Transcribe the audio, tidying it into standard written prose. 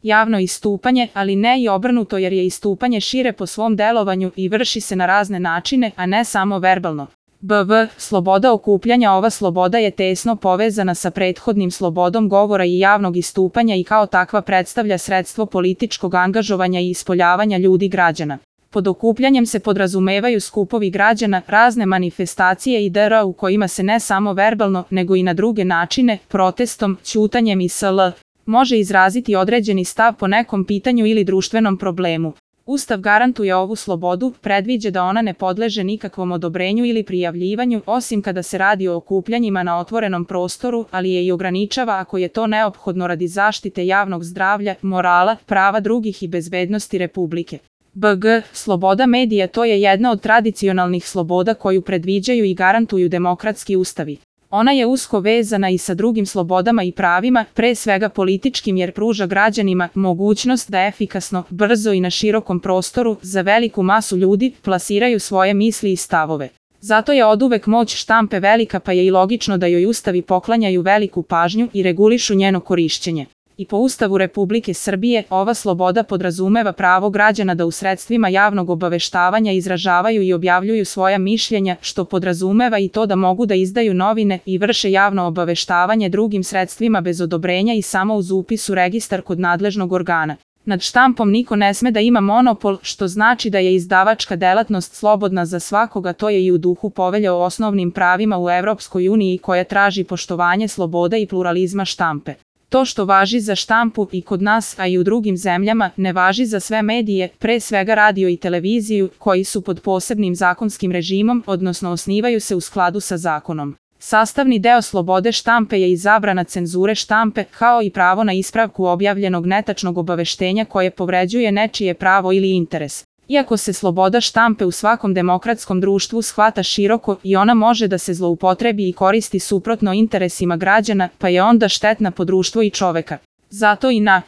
javno istupanje, ali ne i obrnuto jer je istupanje šire po svom delovanju i vrši se na razne načine, a ne samo verbalno. Sloboda okupljanja. Ova sloboda je tesno povezana sa prethodnim slobodom govora i javnog istupanja i kao takva predstavlja sredstvo političkog angažovanja i ispoljavanja ljudi građana. Pod okupljanjem se podrazumevaju skupovi građana, razne manifestacije i dr. u kojima se ne samo verbalno, nego i na druge načine, protestom, ćutanjem i sl. može izraziti određeni stav po nekom pitanju ili društvenom problemu. Ustav garantuje ovu slobodu, predviđa da ona ne podleže nikakvom odobrenju ili prijavljivanju, osim kada se radi o okupljanjima na otvorenom prostoru, ali je i ograničava ako je to neophodno radi zaštite javnog zdravlja, morala, prava drugih i bezbednosti Republike. Sloboda medija. To je jedna od tradicionalnih sloboda koju predviđaju i garantuju demokratski ustavi. Ona je usko vezana i sa drugim slobodama i pravima, pre svega političkim jer pruža građanima mogućnost da efikasno, brzo i na širokom prostoru, za veliku masu ljudi, plasiraju svoje misli i stavove. Zato je oduvek moć štampe velika pa je i logično da joj ustavi poklanjaju veliku pažnju i regulišu njeno korišćenje. I po Ustavu Republike Srbije, ova sloboda podrazumeva pravo građana da u sredstvima javnog obaveštavanja izražavaju i objavljuju svoja mišljenja, što podrazumeva i to da mogu da izdaju novine i vrše javno obaveštavanje drugim sredstvima bez odobrenja i samo uz upis u registar kod nadležnog organa. Nad štampom niko ne sme da ima monopol, što znači da je izdavačka delatnost slobodna za svakoga, to je i u duhu Povelje o osnovnim pravima u Evropskoj uniji koja traži poštovanje sloboda i pluralizma štampe. To što važi za štampu i kod nas, a i u drugim zemljama, ne važi za sve medije, pre svega radio i televiziju, koji su pod posebnim zakonskim režimom, odnosno osnivaju se u skladu sa zakonom. Sastavni deo slobode štampe je i zabrana cenzure štampe, kao i pravo na ispravku objavljenog netačnog obaveštenja koje povređuje nečije pravo ili interes. Iako se sloboda štampe u svakom demokratskom društvu shvata široko i ona može da se zloupotrebi i koristi suprotno interesima građana, pa je onda štetna po društvo i čoveka. Zato i na